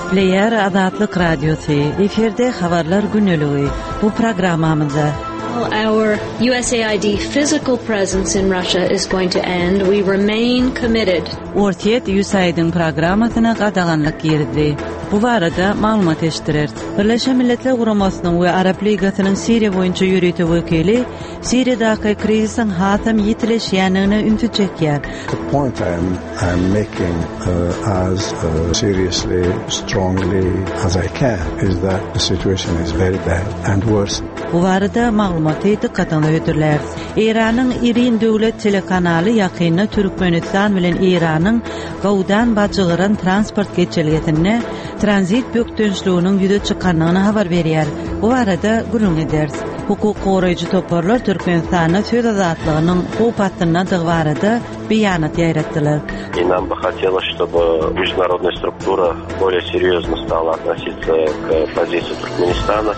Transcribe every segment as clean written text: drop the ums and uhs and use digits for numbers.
Gepleýär Azatlyk Radiosy, efirde Habarlar gündeligi. Bu programmamyzda Our USAID physical presence in Russia is going to end. We remain committed. Orsýet USAID-iň programmasyna gadaganlyk girizdi. Bu barada maglumat eşitdireris. Birleşen Milletler Guramasynyň we Arap Ligasynyň Siriýa boýunça ýörite wekili Siriýadaky krizisiň hasam ýitileşýändigine ünsi çekýär. The point I am I am making as seriously, strongly as I can is that the situation is very bad and worse. Bu barada maglumaty dykgatyňyza hödürläris. Eýranyň IRIN döwlet telekanaly ýakynda Türkmenistan bilen Eýranyň Gowdan-Bajygyran transport geçelgesinde tranzit bökdençliginiň ýüze çykandygyny habar berýär. Bu barada gürrüň ederis. Hukuk goraýjy toparlar Türkmenistanda söz azatlygynyň howp astyndadygy barada beýanat ýaýratdylar. И нам бы хотелось, чтобы международная структура более серьезно стала относиться к позиции Туркменистана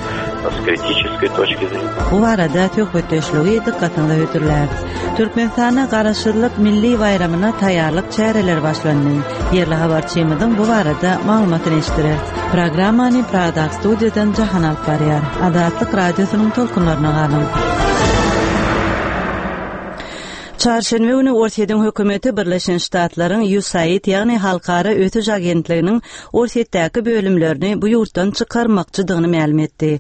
с критической точки зрения. Bu barada söhbetdeşligi dykgatyňyza hödürläris. Türkmenistanda Garaşsyzlyk milli baýramyna taýýarlyk çäreleri başlandy. Ýerli habarçymyzyň bu barada maglumatyny eşitdireris. Programmany Pragadaky studiýadan Jahan alyp barýar. Azatlyk Radiosynyň tolkunlaryna galyň. Çarşenbe güni Orsýetiň hökümeti Birleşen Ştatlaryň USAID, ýagny Halkara ösüş agentliginiň Orsýetdäki bölümlerini bu ýurtdan çykarmakçydygyny mälim etdi.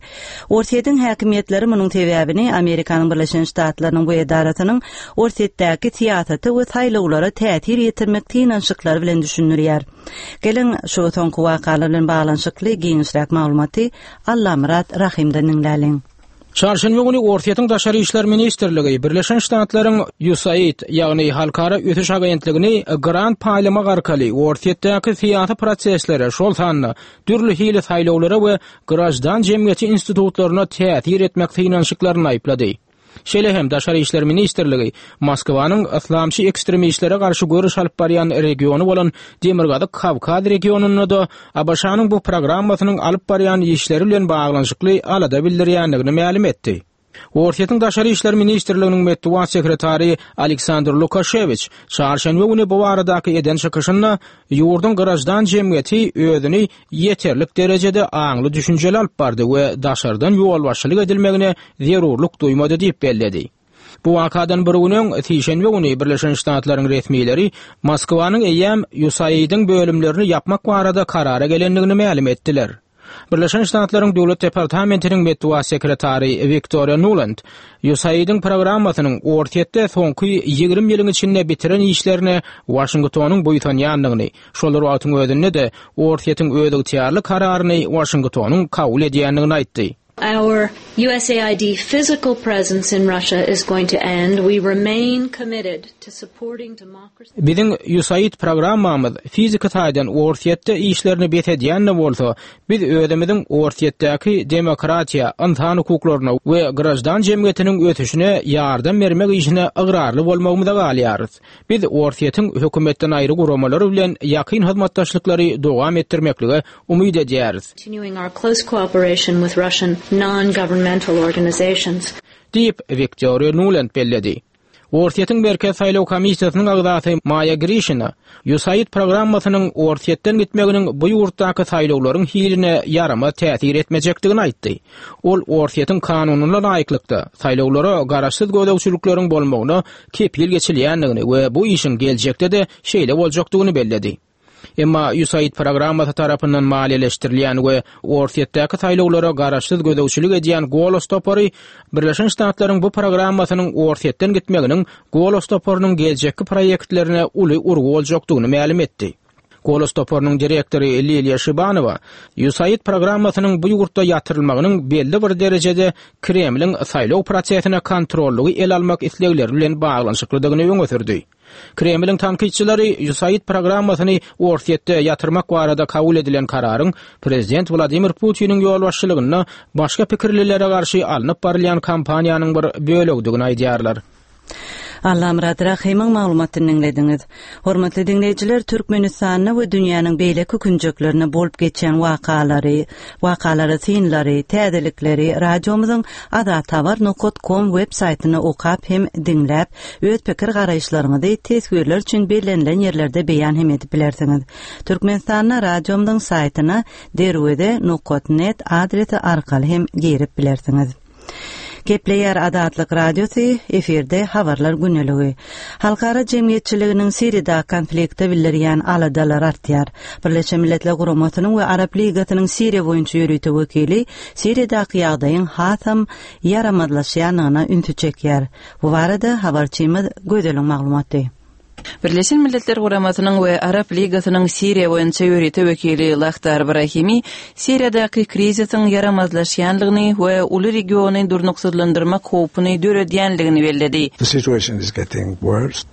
Orsýetiň häkimiýetleri munuň sebäbini Amerikanyň Birleşen Ştatlarynyň bu edarasynyň Orsýetdäki syýasata we saýlawlara täsir ýetirmek synanyşyklary bilen düşündirýär. Geliň, şu soňky wakalar bilen baglanyşykly giňişräk maglumaty Allamyrat Rahymdan diňläliň. Çarşenbe güni Orsýetiň Daşary işler ministrligi Birleşen Ştatlaryň USAID, ýagny Halkara ösüş agentligini grant paýlamak arkaly Orsýetdäki syýasy proseslere, şol sanda dürli hili saýlawlara we graždan jemgyýeti institutlaryna täsir etmek synanyşyklaryny aýyplady. Şeýle hem Daşary işler ministrligi Moskwanyň yslamçy ekstremistlere garşy göreş alyp barýan regiony bolan Demirgazyk Kawkaz regionynda-da ABŞ-nyň bu programmasynyň alyp barýan işleri bilen baglanyşykly alada bildirýändigini mälim etdi. Orsýetiň Daşary işler ministrliginiň metbugat sekretary Aleksandr Lukaşewiç çarşenbe güni bu baradaky eden çykyşynda ýurduň graždan jemgyýeti özüni ýeterlik derejede aňly-düşünjeli alyp bardy we daşardan ýolbaşçylyk edilmegine zerurlyk duýmady diýip belledi. Bu wakadan bir gün öň, sişenbe güni Birleşen Ştatlaryň resmileri Moskwanyň eýýäm USAID-iň bölümlerini ýapmak barada karara gelendigini mälim etdiler. Birleşen Ştatlaryň Döwlet departamentiniň metbugat sekretary Wiktoriýa Nuland USAID-iň programmasynyň Orsýetde soňky 20 ýylyň içinde bitiren işlerine Waşingtonyň buýsanýandygyny, şol bir wagtyň özünde-de Orsýetiň özygtyýarly kararyny Waşingtonyň kabul edýändigini aýtdy. Our USAID physical presence in Russia is going to end. We remain committed to supporting democracy. Biziň USAID programmamyz fiziki taýdan Orsýetde işlerini bes edýän-de bolsa, biz özümiziň Orsýetdäki demokratiýa, ynsan hukuklaryna we graždan jemgyýetiniň ösüşine ýardam bermek işine ygrarly bolmagymyza galýarys. Biz Orsýetiň hökümetden aýry guramalary bilen ýakyn hyzmatdaşlyklary dowam etdirmeklige umyt edýäris. Continuing our close cooperation with Russian non-governmental organizations. Diýip, Wiktoriýa Nuland belledi. Orsýetiň Merkezi saýlaw komissiýasynyň agzasy Maýa Grişina USAID programmasynyň Orsýetden gitmeginiň bu ýurtdaky saýlawlaryň hiline ýaramaz täsir etmejekdigini aýtdy. Ol Orsýetiň kanunyna laýyklykda, saýlawlara garaşsyz gözegçilikleriň bolmagyna kepil geçilýändigini we bu işiň geljekde-de şeýle boljakdygyny belledi. Emma USAID programmasy tarapyndan maliýeleşdirilýän we Orsýetdäki saýlawlara garaşsyz gözegçilik edýän Golos topary Birleşen Ştatlaryň bu programmasynyň Orsýetden gitmeginiň Golos toparynyň geljekki proýektlerine uly urgy boljakdygyny mälim etdi. Golos toparynyň direktory Liliýa Şibanowa USAID programmasynyň bu ýurtda ýatyrylmagynyň belli bir derejede Kremliň saýlaw prosesine kontrollygy ele almak islegleri bilen baglanyşyklydygyny öňe sürdi. Kremliň tankytçylary USAID programmasyny Orsýetde ýatyrmak barada kabul edilen kararyň prezident Wladimir Putiniň ýolbaşçylygynda başga pikirlilere garşy alnyp barylýan kampaniýanyň bir bölegidigini aýdýarlar. Allamyrat Rahymyň maglumatyny diňlediňiz. Hormatly diňleýjiler, Türkmenistanda we dünýäniň beýleki künjeklerinde bolup geçýän wakalary, wakalara synlary, täzelikleri radiomyzyň azathabar nokat kom web saýtynda okap hem diňläp, öz pikir-garaýyşlaryňyzy teswirler üçin bellenilen ýerlerde beýan hem edip bilersiňiz. Türkmenistanda radiomyzyň saýtyna derweze nokat net adresi arkaly hem girip bilersiňiz. Gepleýär Azatlyk Radiosy, efirde Habarlar gündeligi. Halkara jemgyýetçiliginiň Siriýadaky konflikte bildirýän aladalary artýar. Birleşen Milletler Guramasynyň we Arap Ligasynyň Siriýa boýunça ýörite wekili Siriýadaky ýagdaýyň hasam ýaramazlaşýandygyna ünsi çekýär. Bu barada habarçymyz Gözeliň maglumaty. Birleşen Milletler Guramasynyň we Arap Ligasynyň Siriýa boýunça ýörite wekili Lahdar Brahimi Siriýadaky krizisiň ýaramazlaşýandygyny we uly regiony durnuksyzlandyrmak howpuny döredýändigini belledi. The situation is getting worse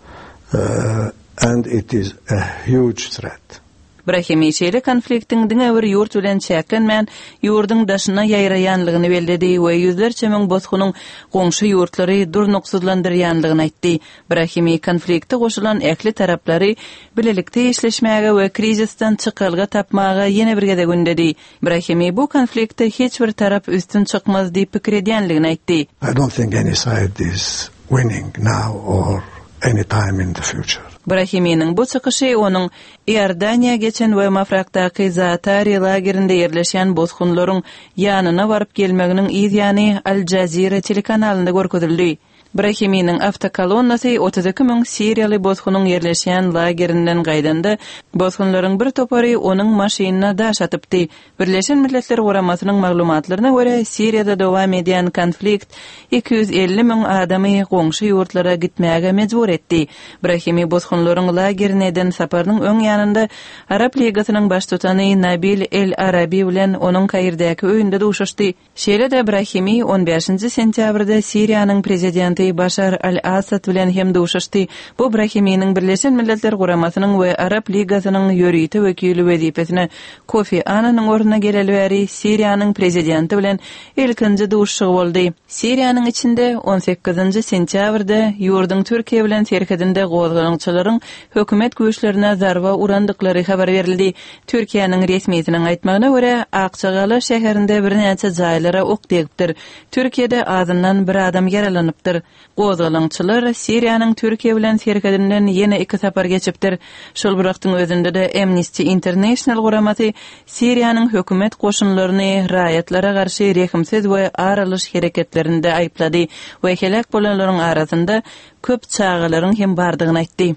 and it is a huge threat. Brahimi şeýle konfliktiň diňe bir ýurt bilen çäklenmän, ýurduň daşyna ýaýraýanlygyny belledi we ýüzlerçe müň bosgunyň goňşy ýurtlary durnuksyzlandyrýanlygyny aýtdy. Brahimi konflikte goşulan ähli taraplary bilelikde işleşmäge we krizisden çykalga tapmaga ýene bir gezek ündedi. Brahimi bu konfliktde hiç bir tarap üstün çykmaz diýip pikir edýänligini aýtdy. I don't think any side is winning now or any time in the future. Brahiminiň bu çykyşy onuň Iordaniýa geçen we Mafrakdaky Zaatari lagerinde ýerleşýän bosgunlaryň ýanyna baryp gelmeginiň yz ýany Al Jazeera telekanalynda görkezildi. Brahiminiň awtokolonnasy 32 müň siriýaly bosgunyň ýerleşýän lagerinden gaýdanda, bosgunlaryň bir topary onuň maşynyna daş atypdy. Birleşen Milletler Guramasynyň maglumatlaryna görä, Siriýada dowam edýän konflikt 250 müň adamy goňşy ýurtlara gitmäge mejbur etdi. Brahimi bosgunlaryň lagerine eden saparynyň öň ýanynda Arap Ligasynyň baştutany Nabil El-Arabi bilen onuň Kairdäki öýünde duşuşdy. Şeýle-de Brahimi on bäşinji sentýabrda Siriýanyň prezidenti Başar al-Assad bilen hem duşuşdy. Bu Brahiminiň Birleşen Milletler Guramasynyň we Arap Ligasynyň ýörite wekili wezipesine Kofi Annanyň ornuna geleli bäri Siriýanyň prezidenti bilen ilkinji duşuşygy boldy. Siriýanyň içinde on sekizinji sentýabrda ýurduň Türkiýe bilen serhedinde gozgalaňçylaryň hökümet güýçlerine zarba urandyklary habar berildi. Türkiýäniň resmisiniň aýtmagyna görä, Akjagala şäherinde birnäçe jaýlara ok degipdir. Türkiýede azyndan bir adam ýaralanypdyr. Gozgalaňçylar Siriýanyň Türkiýe bilen serhedinden ýene iki sapar geçipdir. Şol bir wagtyň özünde-de Amnesty International guramasy Siriýanyň hökümet goşunlaryny raýatlara garşy rehimsiz we ar alyş hereketlerinde aýyplady we heläk bolanlaryň arasynda köp çagalaryň hem bardygyny aýtdy.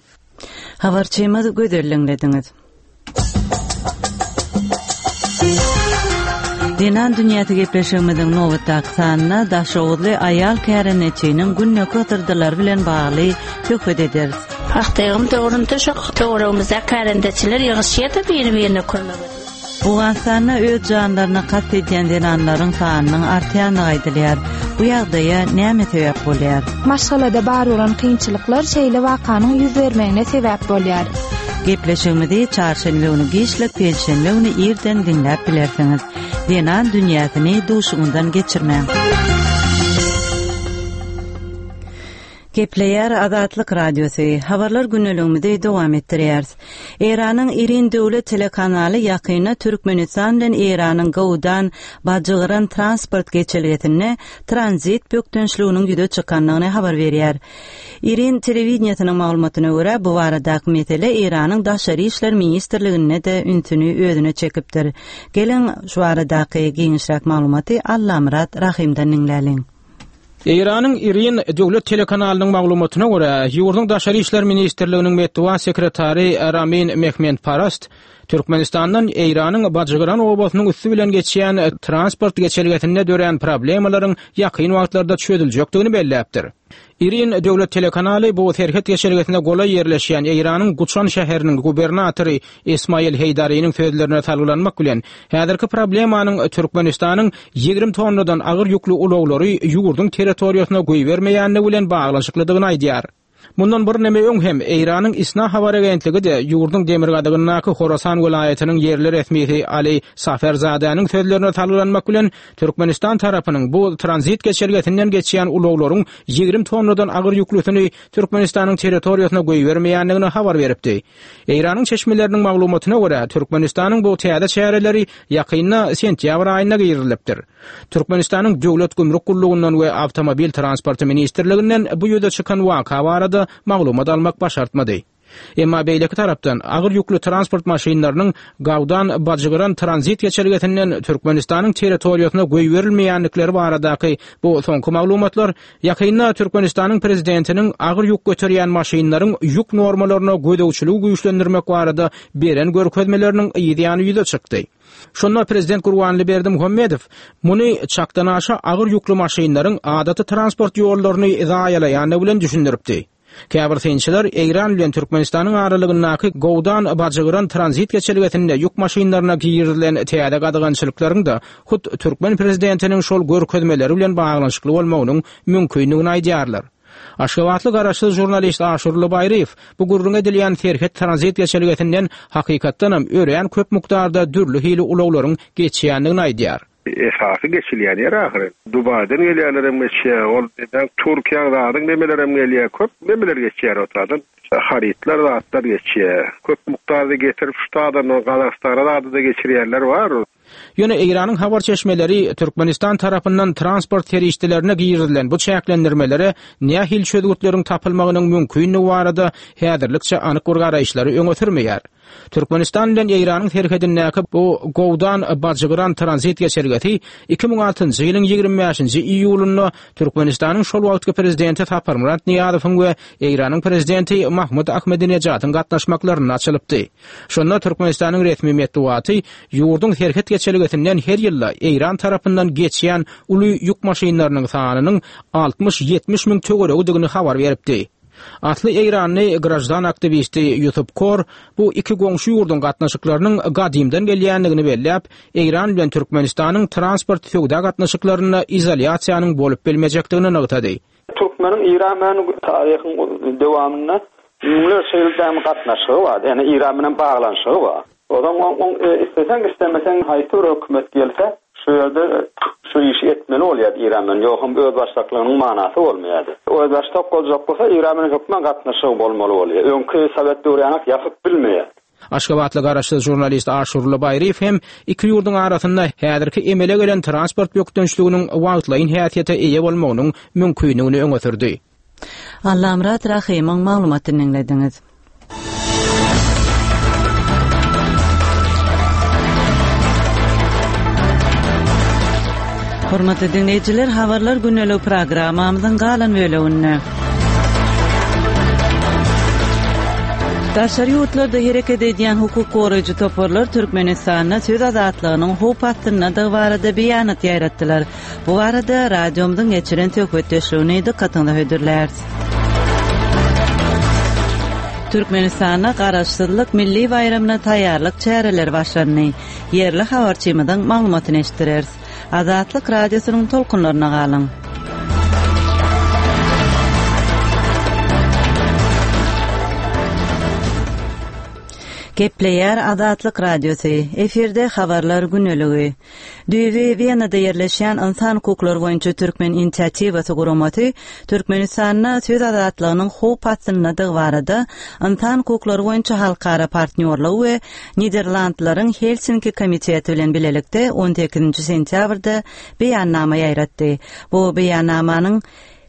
Habarçymyz Gözel diňlediňiz. Zenan dünýäsi gepleşigimiziň nobatdaky sanynda daşoguzly aýal kärendeçiniň gündelik hysyrdylary bilen bagly söhbet ederis. Pagta ýygym döwründe şo töweregimizde kärendeçiler ýygyşýardy biri-birine kömek edip. Owganystanda öz janlaryna kast edýän zenanlaryň sanynyň artýandygy aýdylýar. Bu ýagdaýa näme sebäp bolýar? Maşgalada bar bolan kynçylyklar şeýle wakanyň ýüz bermegine sebäp bolýar. Gepleşigimizi çarşenbe güni giçlik, penşenbe güni irden diňläp bilersiňiz. Zenan dünýäsini duşuňyzdan geçirmäň! Gepleýär Azatlyk Radiosy, Habarlar gündeligimizi dowam etdirýäris. Eýranyň IRIN döwlet telekanaly ýakynda Türkmenistan bilen Eýranyň Gowdan, Bajygyran transport geçelgesinde tranzit bökdençliginiň ýüze çykandygyny habar berýär. IRIN telewideniýesiniň maglumatyna görä, bu baradaky mesele Eýranyň Daşary işler ministrliginde-de ünsüni özüne çekipdir. Geliň, şu baradaky giňişräk maglumaty Allamyrat Rahymdan diňläliň. Eýranyň IRIN döwlet telekanalynyň maglumatyna görä, ýurduň Daşary işler ministrliginiň metbugat sekretary Ramin Mehmendparast Türkmenistandan Eýranyň Bajygyran obasynyň üsti bilen geçýän transport geçelgesinde dörän problemalaryň ýakyn wagtlarda çözüljekdigini belläpdir. IRIN döwlet telekanaly bu serhet geçelgesine golaý ýerleşýän Eýranyň Guçan şäheriniň gubernatory Ismail Heýdariniň sözlerine salgylanmak bilen, häzirki problemanyň Türkmenistanyň 20 tonnadan agyr ýükli ulaglary ýurduň territoriýasyna goýbermeýändigi bilen baglanyşyklydygyny aýdýar. Mundan birneme öň hem Eýranyň ISNA habar agentligi-de ýurduň demirgazygyndaky Horasan welaýatynyň ýerli resmisi Ali Saferzadäniň sözlerine salgylanmak bilen, Türkmenistan tarapynyň bu tranzit geçelgesinden geçýän ulaglaryň 20 tonnadan agyr ýüklüsini Türkmenistanyň territoriýasyna goýbermeýändigini habar beripdi. Eýranyň çeşmeleriniň maglumatyna görä, Türkmenistanyň bu täze çäreleri ýakynda sentýabr aýynda girizilipdir. Türkmenistanyň Döwlet gümrük gullugyndan we Awtomobil transporty ministrliginden bu ýüze çykan waka barada maglumat almak başartmady. Emma beýleki tarapdan, agyr ýükli transport maşynlarynyň Gawdan-Bajygyran tranzit geçelgesinden Türkmenistanyň territoriýasyna goýberilmeýändikleri baradaky bu soňky maglumatlar ýakynda Türkmenistanyň prezidentiniň agyr ýük göterýän maşynlaryň ýük normalaryna gözegçiligi güýçlendirmek barada beren görkezmeleriniň yzýany ýüze çykdy. Şonda prezident Gurbanguly Berdimuhamedow muny çakdanaşa agyr ýükli maşynlaryň adaty transport ýollaryny zaýalaýandygy bilen düşündiripdi. Käbir synçylar Eýran bilen Türkmenistanyň aralygyndaky Gowdan-Bajygyran tranzit geçelgesinde ýük maşynlaryna girizilen täze gadagançylyklaryň-da hut türkmen prezidentiniň şol görkezmeleri bilen baglanyşykly bolmagynyň mümkindigini aýdýarlar. Aşgabatly garaşsyz žurnalist Aşurly Baýryýew bu gürrüňi edilýän serhet tranzit geçelgesinden hakykatdanam örän köp mukdarda dürli hili ulaglaryň geçýändigini aýdýar. Esasy geçilýän ýer ahyry. Dubaýdan gelýänlerem geçýär, ol neden Türkiýäň zadyň nemelerem gelýär, köp nemeler geçýär o taýdan. Harytlar zatlar geçýär. Köp mukdarda getirip şu taýdan Gazagystana zady-da geçirýänler bar. Ýöne Eýranyň habar çeşmeleri Türkmenistan tarapyndan transport serişdelerine girizilen bu çäklendirmelere nähili çözgütleriň tapylmagynyň mümkindigi barada häzirlikçe anyk bir garaýyşlary öňe sürmeýär. Türkmenistan bilen Eýranyň serhedindäki bu Gowdan-Bajygyran tranzit geçelgesi 2006-njy ýylyň 25-nji iýulynda Türkmenistanyň şol wagtky prezidenti Saparmyrat Nyýazowyň we Eýranyň prezidenti Mahmud Ahmedinejadyň gatnaşmaklarynda açylypdy. Şonda Türkmenistanyň resmi metbugaty ýurduň serhet geçelgesinden her ýylda Eýran tarapyndan geçýän uly ýük maşynlarynyň sanynyň altmyş-ýetmiş müň töweregidigini habar beripdi. Asly eýranly graždan aktiwisti Ýusup Kor bu iki goňşy ýurduň gatnaşyklarynyň gadymdan gelýändigini belläp, Eýran bilen Türkmenistanyň transport-söwda gatnaşyklarynda izolýasiýanyň bolup bilmejekdigini nygtady. Türkmeniň Eýran bilen taryhyň dowamynda müňlerçe ýyl dämi gatnaşygy bar, ýagny Eýran bilen baglanyşygy bar. Onsoň oň isleseň islemeseň haýsy bir hökümet gelse şu ýerde şu işi etmeli bolýardy Eýran bilen, ýogsam özbaşdaklygynyň manasy bolmaýardy. Özbaşdak boljak bolsa Eýran bilen hökman gatnaşygy bolmaly bolýar. Öňki sowet döwri ýanak ýapyp bilmeýär. Aşgabatly garaşsyz žurnalist Aşurly Baýryýew hem iki ýurduň arasynda häzirki emele gelen transport bökdençliginiň wagtlaýyn häsiýete eýe bolmagynyň mümkindigini öňe sürdi. Allamyrat Rahymyň maglumatyny diňlediňiz. Hormatly diňleýjiler, habarlar gündelik programmamyzyň galan böleginde. Daşary ýurtlarda hereket edýän hukuk goraýjy toparlar Türkmenistanda söz azatlygynyň howp astyndadygy barada beýanat ýaýratdylar. Bu barada radiomyzyň geçiren söhbetdeşligini dykgatyňyza hödürläris. Türkmenistanda Garaşsyzlyk milli baýramyna taýýarlyk çäreleri başlandy. Ýerli habarçymyzyň maglumatyny eşitdireris. Azatlyk Radiosynyň tolkunlaryna galyň! Gepleýär Azatlyk Radiosy, efirde Habarlar güneligi. Düýbi Wenada ýerleşýän Ynsan hukuklary boýunça Türkmen inisiatiwasy guramasy Türkmenistanda söz azatlygynyň howp astyndadygy barada Ynsan hukuklary boýunça halkara partnýorlygy we Niderlandlaryň Helsinki komiteti bilen bilelikde on sekizinji sentýabrda beýannama ýaýratdy. Bu beýannamanyň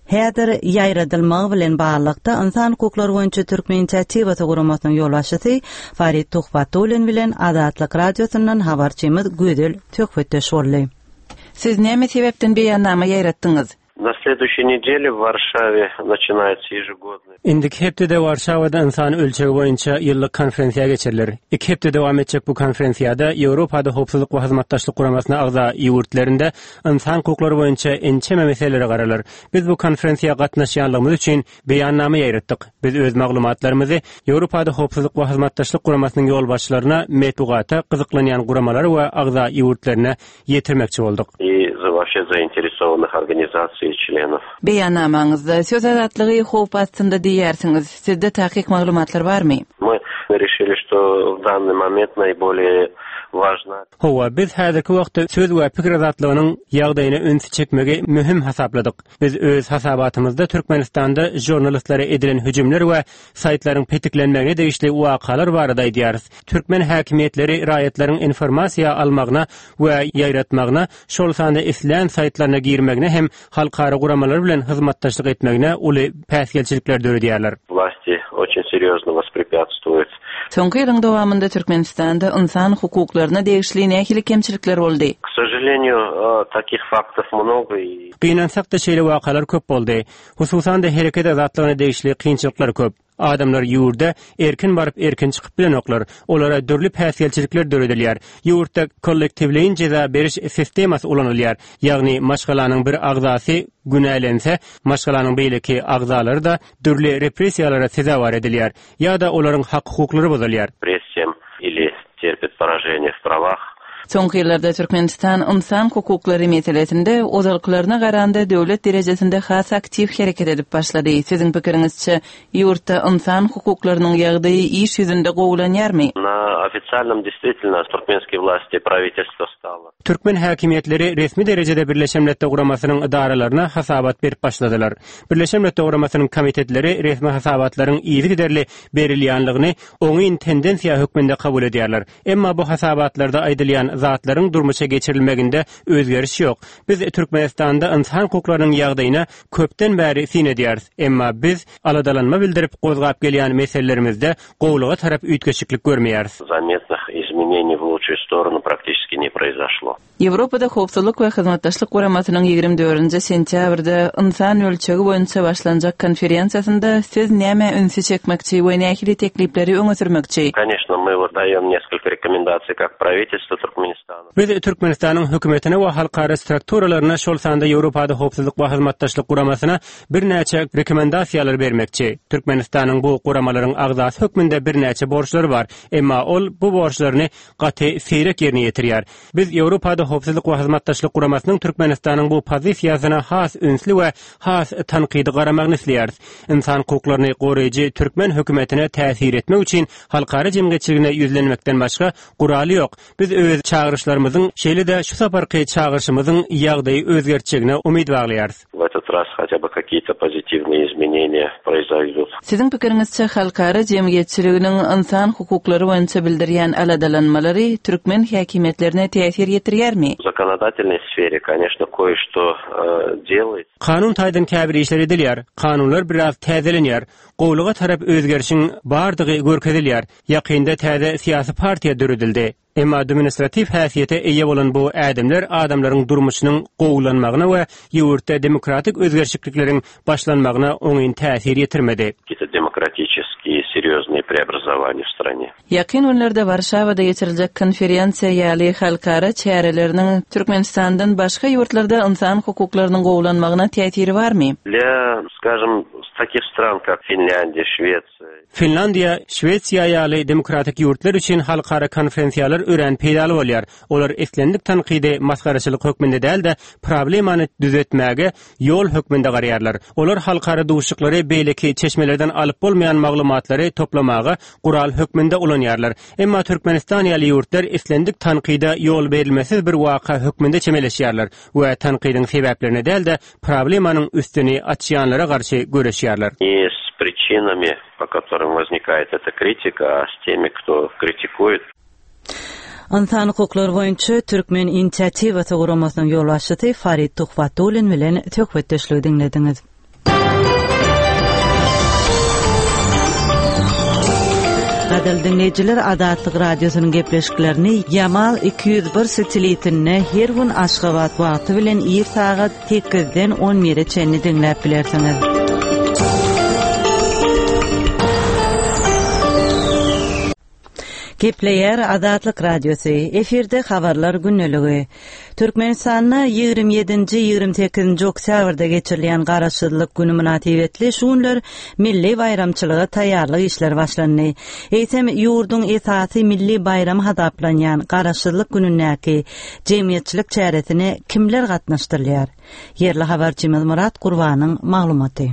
häzir ýaýradylmagy bilen baglylykda Ynsan hukuklary boýunça Türkmen inisiatiwasy guramasynyň ýolbaşçysy Farid Tuhbatullin bilen Azatlyk Radiosyndan habarçymyz Gözel söhbetdeş boldy. Siz näme sebäpden beýannama ýaýratdyňyz? Na следующей неделе в Варшаве начинается ежегодный. Indiki hepdede Warşawada ynsan ölçegi boýunça ýyllyk konferensiýa geçiriler. Iki hepde dowam etjek bu konferensiýada Ýewropada Howpsuzlyk we Hyzmatdaşlyk Guramasyna agza ýurtlarynda ynsan hukuklary boýunça ençeme meselelere garalar. Biz bu konferensiýa gatnaşýanlygymyz üçin beýannama ýaýratdyk. Biz öz maglumatlarymyzy Ýewropada Howpsuzlyk we Hyzmatdaşlyk Guramasynyň ýolbaşçylaryna, metbugata, gyzyklanýan guramalara we agza ýurtlaryna ýetirmekçi bolduk. вообще заинтересованных организаций и членов. Beýannamaňyzda söz azatlygy howp astynda diýýärsiňiz. Sizde takyk maglumatlar barmy? Мы решили, что в данный момент наиболее важно. Hawa, biz häzirki wagtda söz we pikir azatlygynyň ýagdaýyna ünsi çekmegi möhüm hasapladyk. Biz öz hasabatymyzda Türkmenistanda žurnalistlere edilen hüjümler we saýtlaryň petiklenmegine degişli wakalar barada aýdýarys. Türkmen häkimiýetleri raýatlaryň informasiýa almagyna we ýaýratmagyna, şol sanda islän saýtlaryna girmegine hem halkara guramalary bilen hyzmatdaşlyk etmegine uly päsgelçilikler döredýärler. Власти очень серьезно воспрепятствуют. Soňky ýylyň dowamynda Türkmenistanda ynsan hukuklaryna degişli nähili kemçilikler boldy? K sожалению, takih faktov mnogo i. Gynansak-da şeýle wakalar köp boldy. Hususan-da hereket azatlygyna degişli kynçylyklar köp. Adamlar ýurda erkin baryp erkin çykyp bilenoklar. Olara dürli päsgelçilikler döredilýär. Ýurtda kollektiwleýin jeza beriş sistemasy ulanylýar. Ýagny maşgalanyň bir agzasy günälense, maşgalanyň beýleki agzalary-da dürli repressiýalara sezewar edilýär ýa-da olaryň hak-hukuklary bozulýar. Repressiýam ili terpit poraženiýe w prawah. Soňky ýyllarda Türkmenistan ynsan hukuklary meselesinde ozalkylaryna garanda döwlet derejesinde has aktiw hereket edip başlady. Siziň pikiriňizçe, ýurtda ynsan hukuklarynyň ýagdaýy iş ýüzünde gowulanýarmy? Na ofitsialnom deýstwitelno turkmenskiý wlasti prawitelstwo stalo. Türkmen häkimiýetleri resmi derejede Birleşen Milletler Guramasynyň edaralaryna hasabat berip başladylar. Birleşen Milletler Guramasynyň komitetleri resmi hasabatlaryň yzygiderli berilýänligini oňyn tendensiýa hökmünde kabul edýärler. Emma bu hasabatlarda aýdylýan zatlaryň durmuşa geçirilmeginde özgeriş ýok. Biz Türkmenistanda ynsan hukuklarynyň ýagdaýyna köpden bäri syn edýäris. Emma biz aladalanma bildirip gozgap gelýän meselelerimizde gowulyga tarap üýtgeşiklik görmeýäris. Zametnych izmeneniý w lutşuyu storonu praktiçeski ne proizoşlo. Ýewropada Howpsuzlyk we Hyzmatdaşlyk Guramasynyň 24-nji sentýabrda ynsan ölçegi boýunça başlanjak konferensiýasynda siz nämä ünsi çekmekçi we nähili teklipleri öňe sürmekçi? Koneçno, my wot daýom neskolko rekomendasiý kak prawitelstwu Turkmenistana. Biz Türkmenistanyň Hökümetine we halkara strukturalaryna, şol sanda Ýewropada Howpsuzlyk we Hyzmatdaşlyk Guramasyna birnäçe rekomendasiýalar bermekçi. Türkmenistanyň bu guramalaryň agzasy hökmünde birnäçe borçlary bar, emma ol bu borçlaryny gaty seýrek ýerine ýetirýär. Biz Ýewropada Howpsuzlyk we Hyzmatdaşlyk Guramasynyň Türkmenistanyň bu pozisiýasyna has ünsli we has tankydy garamagyny isleýäris. Ynsan hukuklaryny goraýjy türkmen hökümetine täsir etmek üçin halkara jemgyýetçiligine ýüzlenmekden başga guraly ýok. Biz öz çagyryşlarymyzyň, şeýle-de şu saparky çagyryşymyzyň ýagdaýy özgertjegine umyt baglaýarys. W etot raz hotýa by kakiýe-to pozitivnyýe izmeneniýa proizoýdut. Siziň pikiriňizçe, halkara jemgyýetçiliginiň ynsan hukuklary boýunça bildirýän aladalanmalary türkmen häkimiýetlerine täsir ýetirýärmi? W zakonodatelnoý sfere, koneçno, koýe-çto delaýtsya. Kanun taýdan käbir işler edilýär, kanunlar biraz täzelenýär, gowulyga tarap özgerişiň bardygy görkezilýär. Ýakynda täze syýasy partiýa döredildi. Emma administratiw häsiýete eýe bolan bu ädimler adamlaryň durmuşynyň gowulanmagyna we ýurtda demokratik özgerişiklikleriň başlanmagyna oňyn täsir ýetirmedi. Какие-то demokratiçeskiý serýoznyý preobrazowaniýa w strane. Ýakyn günlerde Warşawada geçiriljek konferensiýa ýaly halkara çäreleriniň Türkmenistandan başga ýurtlarda ynsan hukuklarynyň gowulanmagyna täsiri barmy? Dla, skažem, takih stran, kak Finlýandiýa, Şwesiýa, Finlandiýa, Şwesiýa ýaly demokratik ýurtlar üçin halkara konferensiýalar örän peýdaly bolýar. Olar islendik tankydy masgaraçylyk hökmünde däl-de, problemany düzetmäge ýol hökmünde garaýarlar. Olar halkara duşuşyklary beýleki çeşmelerden alyp bolmaýan maglumatlary toplamaga gural hökmünde ulanýarlar. Emma Türkmenistan ýaly ýurtlar islendik tankyda ýol berilmesiz bir waka hökmünde çemeleşýärler we tankydyň sebäplerine däl-de, problemanyň üstüni açýanlara garşy göreşýärler. Ne s pričinami, po kotorym woznikает eta kritika, a s temi, kto kritikuet. Ynsan hukuklary boýunça Türkmen inisiatiwasy guramasynyň ýolbaşçysy Farid Tuhbatullin bilen söhbetdeşligi diňlediňiz. Gadyrly diňleýjiler, Azatlyk Radiosynyň gepleşiklerini Ýamal 201 satelitinde her gün Aşgabat wagty bilen ir sagat sekizden on bire çenli diňläp bilersiňiz. Gepleýär Azatlyk Radiosy, efirde Habarlar gündeligi. Türkmenistanda 27-nji, 28-nji oktýabrda geçirilýän Garaşsyzlyk güni mynasybetli şu günler milli baýramçylyga taýýarlyk işleri başlandy. Eýsem, ýurduň esasy milli baýramy hasaplanýan Garaşsyzlyk günündäki jemgyýetçilik çäresine kimler gatnaşdyrylýar? Ýerli habarçymyz Myrat Gurbanyň maglumaty.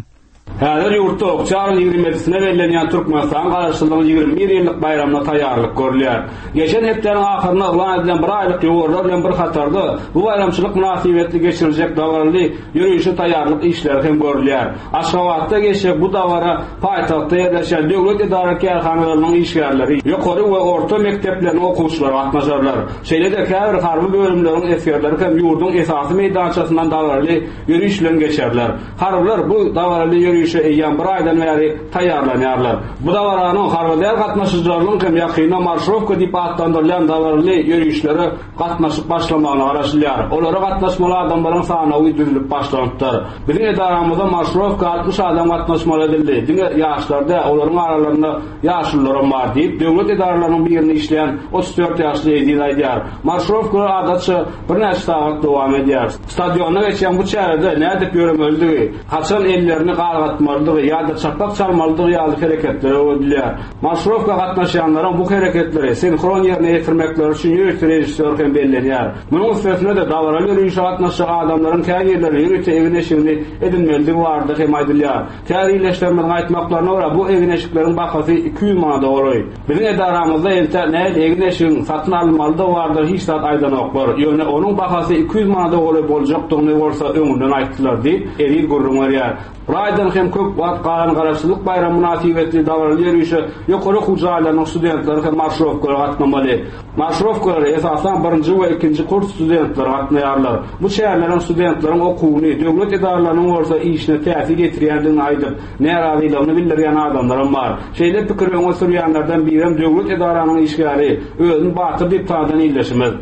Häzir ýurtda oktýabryň 27-sine bellenýän Türkmenistanyň Garaşsyzlygynyň 21 ýyllyk baýramyna taýýarlyk görülýär. Geçen hepdäniň ahyrynda yglan edilen bir aýlyk ýowarlar bilen bir hatarda bu baýramçylyk mynasybetli geçiriljek dabaraly ýörişe taýýarlyk işleri hem görülýär. Aşgabatda geçjek bu dabara paýtagtda ýerleşýän döwlet edara-kärhanalarynyň işgärleri, ýokary we orta mekdepleriniň okuwçylary gatnaşarlar. Şeýle-de käbir harby bölümleriň esgerleri hem ýurduň esasy meýdançasyndan dabaraly ýöriş bilen geçerler. Harbylar bu dabaraly ýörişe eýýäm bir aýdan bäri taýýarlanýarlar. Bu dabaranyň harby däl gatnaşyjylarynyň hem ýakynda marşrowka diýip atlandyrylýan dabaraly ýörişlere gatnaşyp başlamagyna garaşylýar. Olara gatnaşmaly adamlaryň sanawy düzülip başlanypdyr. Biziň edaramyzda marşrowka 60 adam gatnaşmaly edildi. Diňe ýaşlar däl, olaryň aralarynda ýaşulularam bar diýip, döwlet edaralarynyň birinde işleýän 34 ýaşly Eziz aýdýar. Marşrowkalar adatça birnäçe sagat dowam edýär. Stadionda geçýän bu çärede nädip ýöremelidigi, haçan ellerini galgatmalydygy ýa-da çapak çalmalydygy ýaly hereketler öwredilýär. Marşirowka gatnaşýanlaryň bu hereketleri sinhron ýerine ýetirmekleri üçin ýörite režissýor hem bellenýär. Munuň üstesine-de, dabaraly ýörişe gatnaşjak adamlaryň käbirleri ýörite egin-eşigini edinmelidigi barada hem aýdylýar. Käbir ildeşlerimiziň aýtmaklaryna görä, bu egin-eşikleriň bahasy 200 manada golaý. Biziň edaramyzda entäk nähili egin-eşigiň satyn alynmalydygy barada hiç zat aýdanoklar. Ýöne onuň bahasy 200 manada golaý boljakdygyny bolsa öňünden aýtdylar diýip, Eziz gürrüň berýär. Bir aýdan hem köp wagt galan Garaşsyzlyk baýramy mynasybetli dabaraly ýörişe ýokary okuw jaýlarynyň studentleri hem marşrowkalara gatnamaly. Marşrowkalara esasan birinji we ikinji kurs studentleri gatnaýarlar. Bu çäreleriň studentleriň okuwyny, döwlet edaralarynyň bolsa işine täsir ýetirýändigini aýdyp, närazylygyny bildirýän adamlaram bar. Şeýle pikiri öňe sürýänlerden birem döwlet edaranyň işgäri, özüni Batyr diýip tanadan ildeşimiz.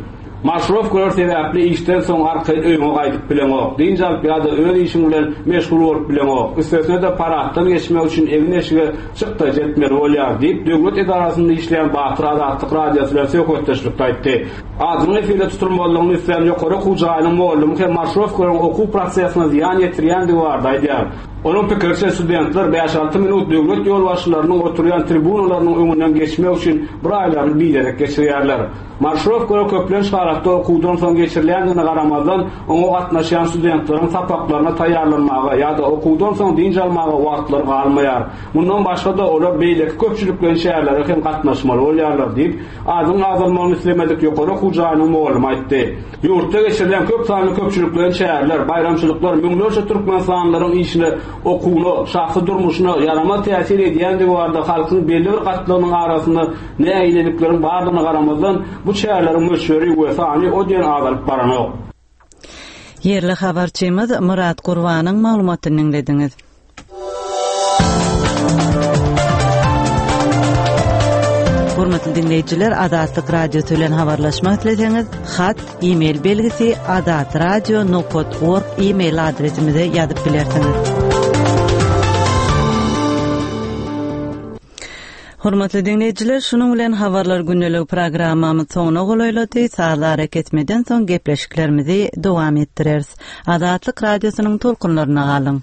Marşrowkalar sebäpli işden soň arkaýyn öýüňe gaýdyp bileňok, dynç alyp ýa-da öz işiň bilen meşgul bolup bileňok, üstesine-de paraddan geçmek üçin egin-eşige çykdajy etmeli bolýar diýip, döwlet edarasynda işleýän Batyr Azatlyk Radiosy bilen söhbetdeşlikde aýtdy. Adynyň efirde tutulmazlygyny islän ýokary okuw jaýynyň mugallymy hem marşrowkalaryň okuw prosesine zyýan ýetirýändigi barada aýdýar. Onuň pikiriçe, studentler bäş-alty minut döwlet ýolbaşçylarynyň oturýan tribunalarynyň öňünden geçmek üçin bir aýlaryny biderek geçirýärler. Marşrowkalar köplenç halatda okuwdan soň geçirilýändigine garamazdan, oňa gatnaşýan studentleriň sapaklaryna taýýarlanmaga ýa-da okuwdan soň dynç almaga wagtlary galmaýar. Mundan başga-da, olar beýleki köpçülikleýin çärelere hem gatnaşmaly bolýarlar diýip, adynyň agzalmagyny islemedik ýokary okuw jaýynyň mugallymy aýtdy. Ýurtda geçirilýän köp sanly köpçülikleýin çäreler, baýramçylyklar müňlerçe türkmenistanlylaryň işine, okuwyna, şahsy durmuşyna ýaramaz täsir edýändigi barada halkyň belli bir gatlagynyň arasynda nägilelikleriň bardygyna garamazdan, bu çäreleriň möçberi we sany o diýen azalyp baranok. Ýerli habarçymyz Myrat Gurbanyň maglumatyny diňlediňiz. Hormatly diňleýjiler, Azatlyk Radiosy bilen habarlaşmak isleseňiz, hat, e-mail belgisi azatradio nokat org e-mail adresimize ýazyp bilersiňiz. Hormatly diňleýjiler, şunuň bilen Habarlar gündeligi programmamyz soňuna golaýlady. Sazly arakesmeden soň gepleşiklerimizi dowam etdireris. Azatlyk Radiosynyň tolkunlarynda galyň!